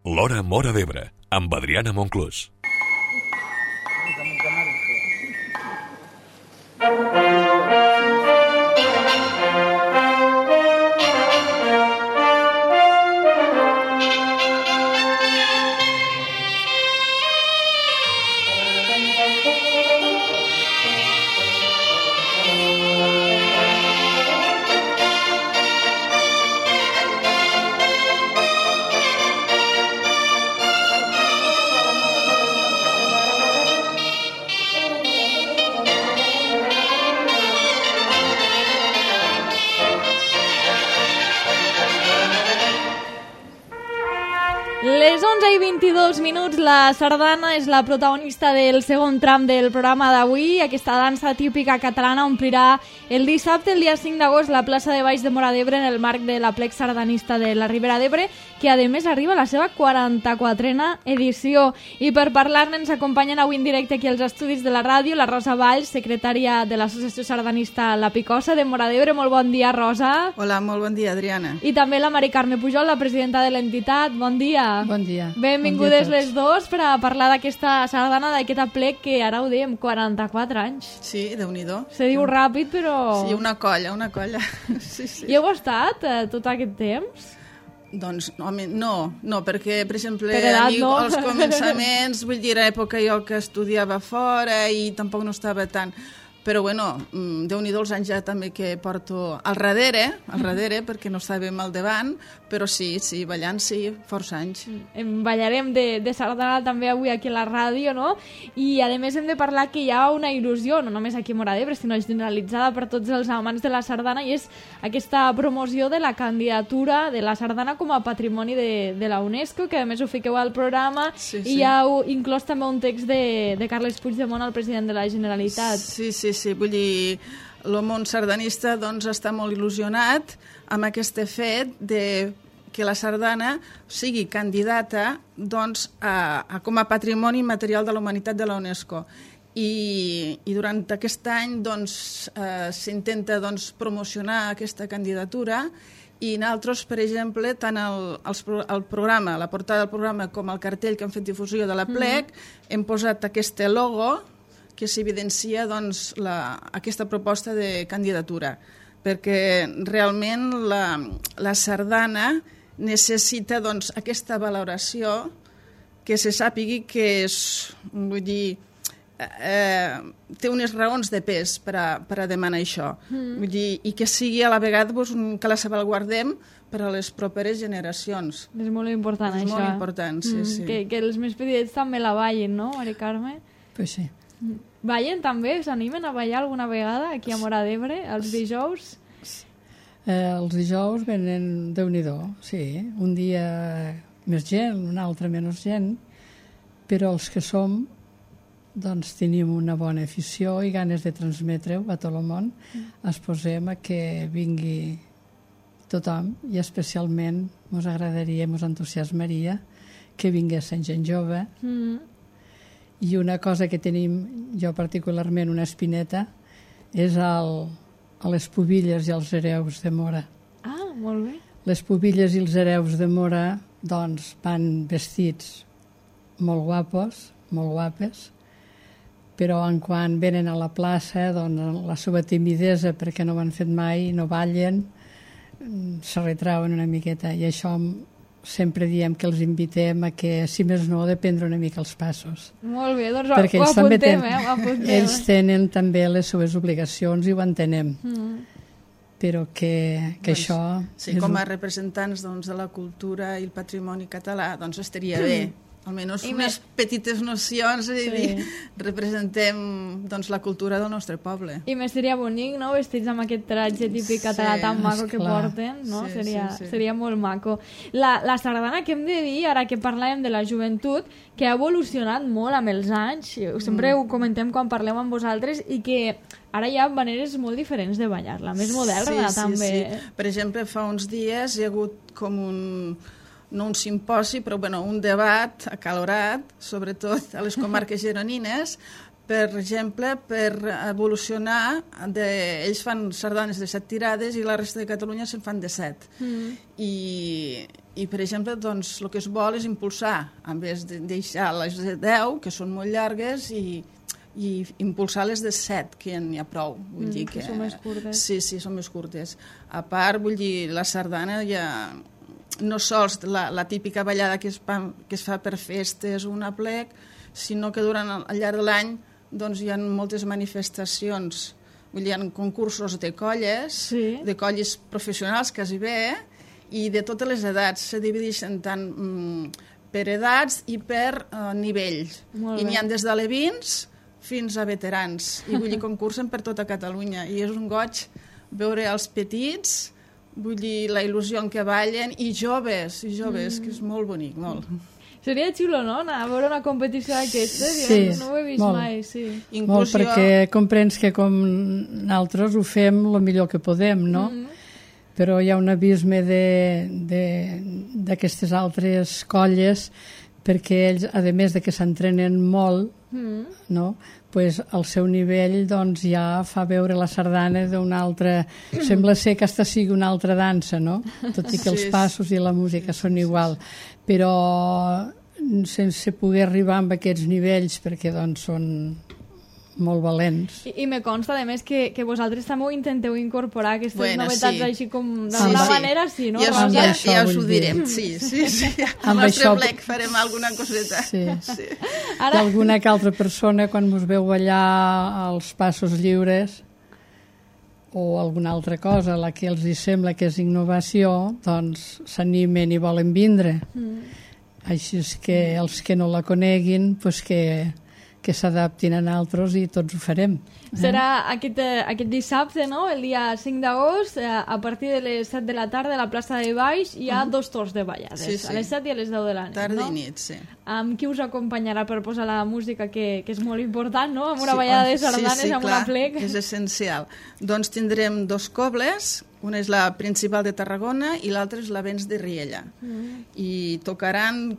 L'Hora Móra d'Ebre, amb Adriana Monclús. Les 11:22, la sardana és la protagonista del segon tram del programa d'avui. Aquesta dansa típica catalana omplirà el dissabte, el dia 5 d'agost, la plaça de Baix de Móra d'Ebre en el marc de l'Aplec Sardanista de la Ribera d'Ebre, que a més arriba a la seva 44a edició. I per parlar-ne ens acompanyen avui en directe aquí als estudis de la ràdio la Rosa Valls, secretària de l'Associació Sardanista La Picosa de Móra d'Ebre. Molt bon dia, Rosa. Hola, molt bon dia, Adriana. I també la Mari Carme Pujol, la presidenta de l'entitat. Bon dia. Bon dia. Benvingudes les dos per a parlar d'aquesta sardana, d'aquest aplec que ara ho dèiem, 44 anys. Sí, Déu-n'hi-do. Se diu ràpid, però... Sí, una colla. Sí, sí. Hi heu estat tot aquest temps? Doncs, home, no, perquè, per exemple, Per edat, no? als començaments, vull dir, a època jo que estudiava fora i tampoc no estava tant... Però, bueno, Déu-n'hi-do els anys ja també que porto al darrere, perquè no estàvem al davant, però sí, ballant sí, força anys. Ballarem de sardana també avui aquí a la ràdio, no? I, a més, hem de parlar que hi ha una il·lusió, no només aquí a Móra d'Ebre, sinó generalitzada per tots els amants de la sardana, i és aquesta promoció de la candidatura de la sardana com a patrimoni de la UNESCO, que a més ho fiqueu al programa, sí. I hi ha inclòs també un text de Carles Puigdemont, el president de la Generalitat. Sí, vull dir, el món sardanista doncs, està molt il·lusionat amb aquest fet de que la sardana sigui candidata doncs, com a patrimoni material de la humanitat de la UNESCO. I durant aquest any doncs, s'intenta doncs, promocionar aquesta candidatura i nosaltres, per exemple, tant el programa, la portada del programa com el cartell que hem fet difusió de l'Aplec, hem posat aquest logo que s'evidencia doncs, aquesta proposta de candidatura, perquè realment la sardana necessita doncs, aquesta valoració, que se sàpigui que és, vull dir, té unes raons de pes per a demanar això. Vull dir, i que sigui a la vegada doncs, que la salvaguardem per a les properes generacions. És molt important, això. És molt important, sí. Que els més petits també la ballin, no, Mari Carme? Pues sí. Ballen també? S'animen a ballar alguna vegada aquí a Móra d'Ebre, els dijous? Els dijous venen Déu-n'hi-do, sí. Un dia més gent, un altre menys gent, però els que som doncs tenim una bona afició i ganes de transmetre-ho a tot el món. Es posem a que vingui tothom i especialment ens agradaria, ens entusiasmaria que vingués gent jove. I una cosa que tenim, jo particularment, una espineta, és a les pubilles i els hereus de Móra. Ah, molt bé. Les pubilles i els hereus de Móra doncs, van vestits molt guapos, molt guapes, però quan venen a la plaça, doncs, la seva timidesa, perquè no ho han fet mai, no ballen, se retrauen una miqueta. I això sempre diem que els invitem a que, si més no, de prendre una mica els passos. Molt bé, doncs perquè ho apuntem, ho apuntem. Ells tenen també les seves obligacions i ho entenem. Però que doncs, això... Sí, com a representants doncs, de la cultura i el patrimoni català, doncs estaria bé. Almenys unes petites nocions i representem doncs, la cultura del nostre poble. I més seria bonic, no?, vestits amb aquest tratge típic català tan maco que porten, no? Seria molt maco. La sardana, que hem de dir, ara que parlàvem de la joventut, que ha evolucionat molt amb els anys, sempre ho comentem quan parlem amb vosaltres, i que ara hi ha maneres molt diferents de ballar-la, més moderna també. Sí. Per exemple, fa uns dies hi ha hagut com no un simposi, però un debat acalorat, sobretot a les comarques gironines, per exemple, per evolucionar. Ells fan sardanes de 7 tirades i la resta de Catalunya se'n fan de 7. I I, per exemple, doncs, el que es vol és impulsar, en vez de deixar les de 10, que són molt llargues, i impulsar les de 7, que ja n'hi ha prou. Vull dir que són més curtes. Sí, són més curtes. A part, vull dir, la sardana ja no sols la típica ballada que es fa per festes o un aplec, sinó que al llarg de l'any doncs, hi ha moltes manifestacions. Vull dir, hi ha concursos de colles, de colles professionals quasi bé, i de totes les edats. Se divideixen tant per edats i per nivells. I n'hi ha des d'alevins fins a veterans, i vull dir, concursen per tota Catalunya, i és un goig veure els petits, vull dir, la il·lusió en què ballen, i joves, que és molt bonic, molt. Seria xulo, no?, anar a veure una competició d'aquestes, sí, no ho he vist molt, mai, sí. Molt, perquè comprens que com nosaltres ho fem el millor que podem, no? Però hi ha un abisme d'aquestes altres colles, perquè ells, a més de que s'entrenen molt, no? Pues el seu nivell doncs, ja fa veure la sardana d'una altra... Sembla ser que aquesta sigui una altra dansa, no? Tot i que els passos i la música són igual. Però sense poder arribar amb aquests nivells, perquè doncs, són molt valents. I me consta, a més, que vosaltres també ho intenteu incorporar, aquestes novetats així com d'alguna manera, sí, no? Ja us ho direm, sí. Al nostre plec farem alguna coseta. Sí. Ara... Alguna que altra persona, quan us veu ballar els passos lliures o alguna altra cosa, la que els sembla que és innovació, doncs s'animen i volen vindre. Així és que els que no la coneguin, doncs que s'adaptin a nosaltres i tots ho farem. Serà aquest dissabte, no?, el dia 5 d'agost, a partir de les 7 de la tarda a la plaça de Baix hi ha 2 torns de ballades, a les 7 i a les 10 de la nit, tarda i nit, sí. Amb qui us acompanyarà per posar la música, que és molt important, no?, amb una ballada de sardanes, amb una plec. És essencial. Doncs tindrem 2 cobles, una és la principal de Tarragona i l'altra és la Vents de Riella. I tocaran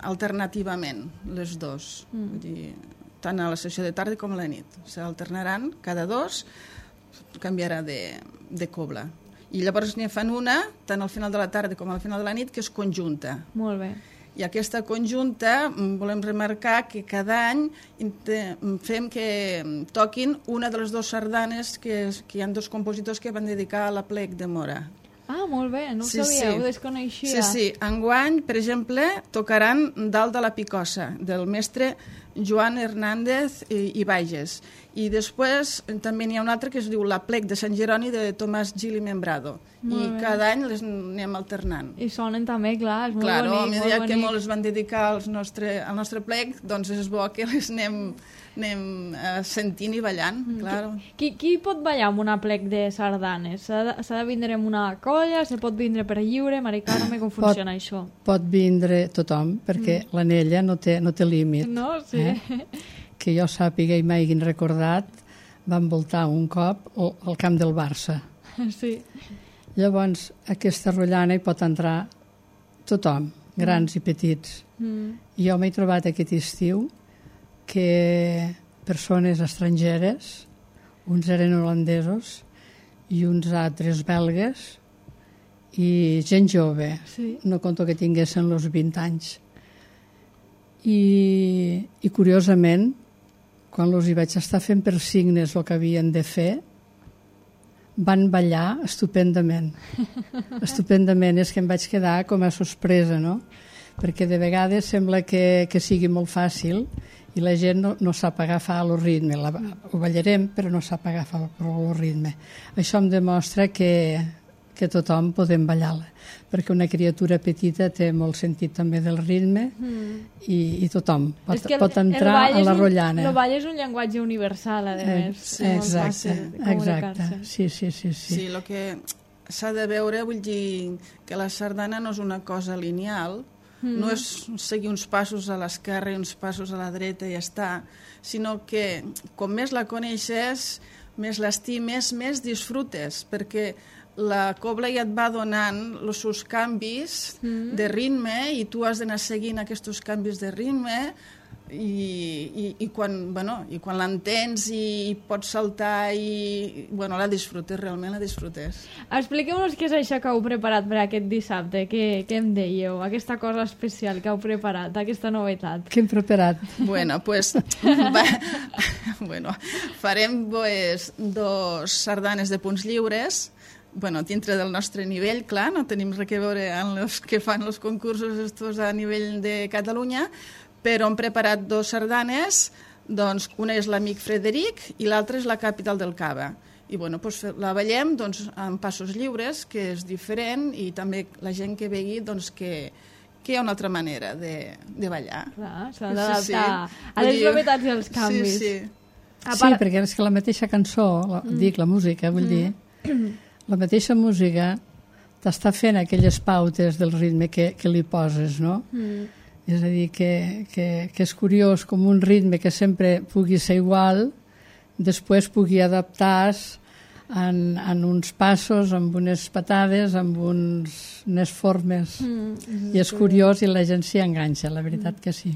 alternativament les 2. Vull dir, tant a la sessió de tarda com a la nit. S'alternaran, cada 2 canviarà de cobla. I llavors n'hi fan una, tant al final de la tarda com al final de la nit, que és conjunta. Molt bé. I aquesta conjunta volem remarcar que cada any fem que toquin una de les 2 sardanes que hi ha 2 compositors que van dedicar a la plec de Mora. Ah, molt bé, no ho sabia, ho desconeixia. Sí. Enguany, per exemple, tocaran Dalt de la Picossa, del mestre Joan Hernández i Bages. I després també n'hi ha un altre que es diu La plec de Sant Jeroni, de Tomàs Gil i Membrado. I cada any les anem alternant. I sonen també, clar, és molt bonic. Claro, a mesura que molts van dedicar al nostre plec, doncs és bo que les anem sentint i ballant, claro. Qui pot ballar amb una plec de sardanes? S'ha de vindre amb una colla? Se pot vindre per lliure? Mari Carme, com funciona això? Pot vindre tothom, perquè l'anella no té límit. No, sí. Que jo sàpiga i m'hagin recordat, van voltar un cop al camp del Barça. Sí. Llavors, aquesta rotllana hi pot entrar tothom, grans i petits. I jo m'he trobat aquest estiu que persones estrangeres, uns eren holandesos i uns altres belgues, i gent jove, no conto que tinguessin els 20 anys. I curiosament, quan els hi vaig estar fent per signes el que havien de fer, van ballar estupendament. Estupendament, és que em vaig quedar com a sorpresa, no? Perquè de vegades sembla que sigui molt fàcil i la gent no sap agafar el ritme. Ho ballarem, però no sap agafar el ritme. Això em demostra que tothom podem ballar-la, perquè una criatura petita té molt sentit també del ritme i tothom pot entrar a la rotllana. El ball és un llenguatge universal, a més. Exacte. Sí. Sí, el que s'ha de veure, vull dir que la sardana no és una cosa lineal, no és seguir uns passos a l'esquerra i uns passos a la dreta i ja està, sinó que com més la coneixes, més l'estimes, més disfrutes, perquè la cobla ja et va donant els seus canvis de ritme i tu has d'anar seguint aquests canvis de ritme i quan l'entens i pots saltar i la disfrutes, realment la disfrutes. Expliqueu-nos què és això que heu preparat per aquest dissabte, què em dèieu, aquesta cosa especial que heu preparat, aquesta novetat. Què hem preparat? Farem 2 sardanes de punts lliures, dintre del nostre nivell, clar, no tenim res a veure amb els que fan els concursos estos a nivell de Catalunya, però hem preparat 2 sardanes, doncs una és l'Amic Frederic i l'altra és la Capital del Cava. I la ballem en passos lliures, que és diferent, i també la gent que vegi que hi ha una altra manera de ballar. Clar, s'ha d'adaptar a les novetats i als canvis. Sí, perquè és que la mateixa cançó, la música, vull dir, la mateixa música t'està fent aquelles pautes del ritme que li poses, no? És a dir, que és curiós com un ritme que sempre pugui ser igual, després pugui adaptar-se en uns passos, amb unes patades, amb unes formes. I és curiós i la gent s'hi enganxa, la veritat que sí.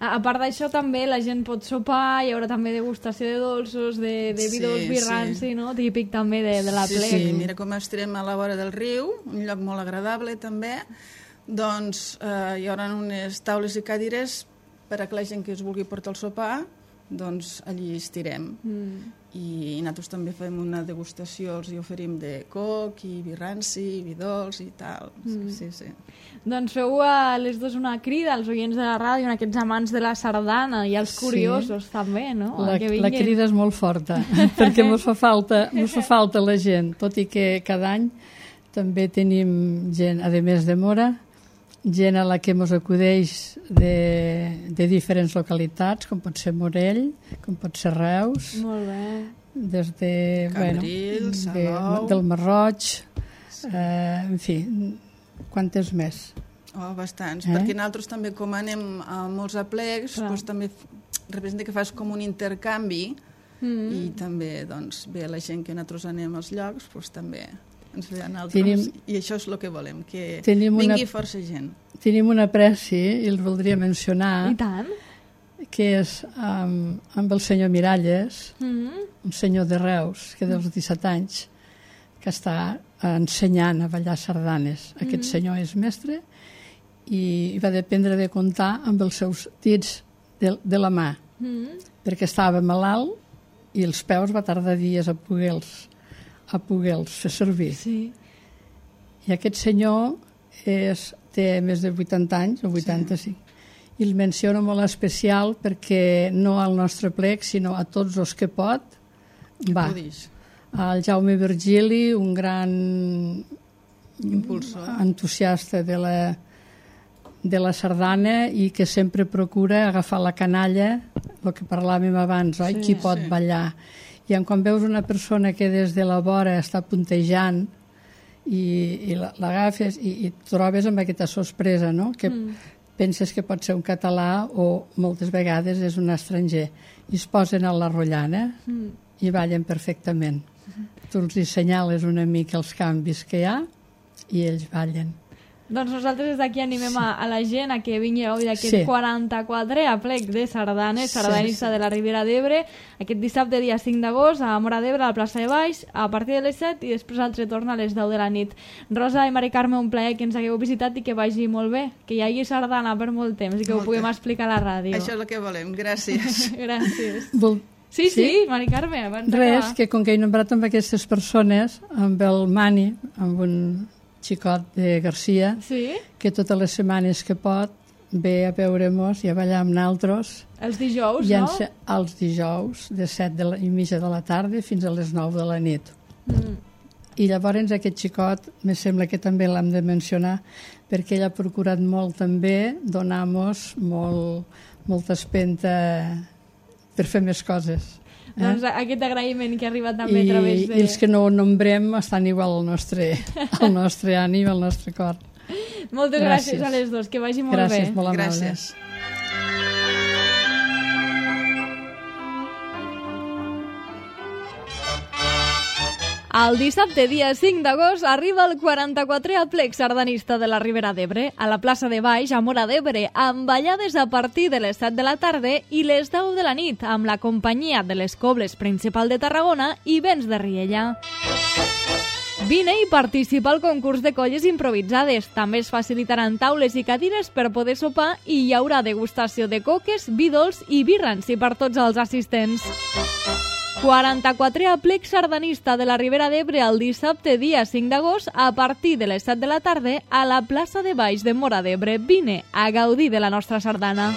A part d'això, també la gent pot sopar, hi haurà també degustació de dolços, de vi dolç, vi ranci, no? Típic també de la plec. Sí, mira com estarem a la vora del riu, un lloc molt agradable també. Doncs hi haurà unes taules i cadires per a que la gent que es vulgui portar el sopar, doncs allí estirem. I nosaltres també fem una degustació, els hi oferim de coc i vi ranci, vi dolç i tal. Sí. Doncs feu a les 2 una crida als oients de la ràdio, a aquests amants de la sardana i als curiosos també, no? La crida és molt forta, perquè mos fa falta la gent, tot i que cada any també tenim gent, a més de Mora, gent a la que ens acudeix de diferents localitats, com pot ser Morell, com pot ser Reus, molt bé, des de Cambrils, Salou, del Marroig, en fi, quantes més? Bastants, perquè nosaltres també, com anem a molts aplecs, també representa que fas com un intercanvi i també ve la gent que nosaltres anem als llocs, també ens ve a nosaltres, i això és el que volem, que vingui força gent. Tenim una preci, i el voldria mencionar, i tant, que és amb el senyor Miralles, un senyor de Reus, que dels 17 anys, que està ensenyant a ballar sardanes. Aquest senyor és mestre i va dependre de comptar amb els seus dits de la mà, perquè estava malalt i els peus va tardar dies a poder-los fer servir. Sí. I aquest senyor té més de 80 anys, o 85, i el menciono molt especial perquè no al nostre plec, sinó a tots els que pot, va. El Jaume Virgili, un gran impulsor, entusiasta de la sardana i que sempre procura agafar la canalla, el que parlàvem abans, qui pot ballar. I quan veus una persona que des de la vora està puntejant i l'agafes i et trobes amb aquesta sorpresa, no? Que penses que pot ser un català o moltes vegades és un estranger. I es posen a la rotllana i ballen perfectament. Tu els assenyales una mica els canvis que hi ha i ells ballen. Doncs nosaltres des d'aquí animem a la gent a que vingui a aquest 44è aplec de sardanes, sardanista de la Ribera d'Ebre, aquest dissabte dia 5 d'agost a Móra d'Ebre, a la plaça de Baix, a partir de les 7 i després el retorn a les 10 de la nit. Rosa i Mari Carme, un plaer que ens hagueu visitat i que vagi molt bé, que hi hagi sardana per molt temps i que ho puguem explicar a la ràdio. Això és el que volem, gràcies. Gràcies. Sí, Mari Carme, abans d'acabar. Res, que com que he nombrat amb aquestes persones, amb el Mani, amb un xicot de Garcia, que totes les setmanes que pot ve a veure-mos i a ballar amb naltros. Els dijous, no? Els dijous, de 7:30 de la tarda fins a les 9 de la nit. I llavors aquest xicot, me sembla que també l'hem de mencionar, perquè ell ha procurat molt també donar-nos molta espenta per fer més coses. Doncs aquest agraïment que ha arribat també a través de... I els que no ho nombrem estan igual al nostre ànim, al nostre cor. Moltes gràcies a les dos, que vagi molt bé. Gràcies, molt amable. Gràcies. El dissabte, dia 5 d'agost, arriba el 44è aplec sardanista de la Ribera d'Ebre a la plaça de Baix, a Móra d'Ebre, amb ballades a partir de les 7 de la tarda i les 10 de la nit, amb la companyia de les Cobles Principal de Tarragona i Vents de Riella. Vine i participa al concurs de colles improvisades. També es facilitaran taules i cadires per poder sopar i hi haurà degustació de coques, vi dolç i vi ranci per tots els assistents. 44è aplec sardanista de la Ribera d'Ebre el dissabte, dia 5 d'agost, a partir de les 7 de la tarda a la plaça de Baix de Móra d'Ebre. Vine a gaudir de la nostra sardana.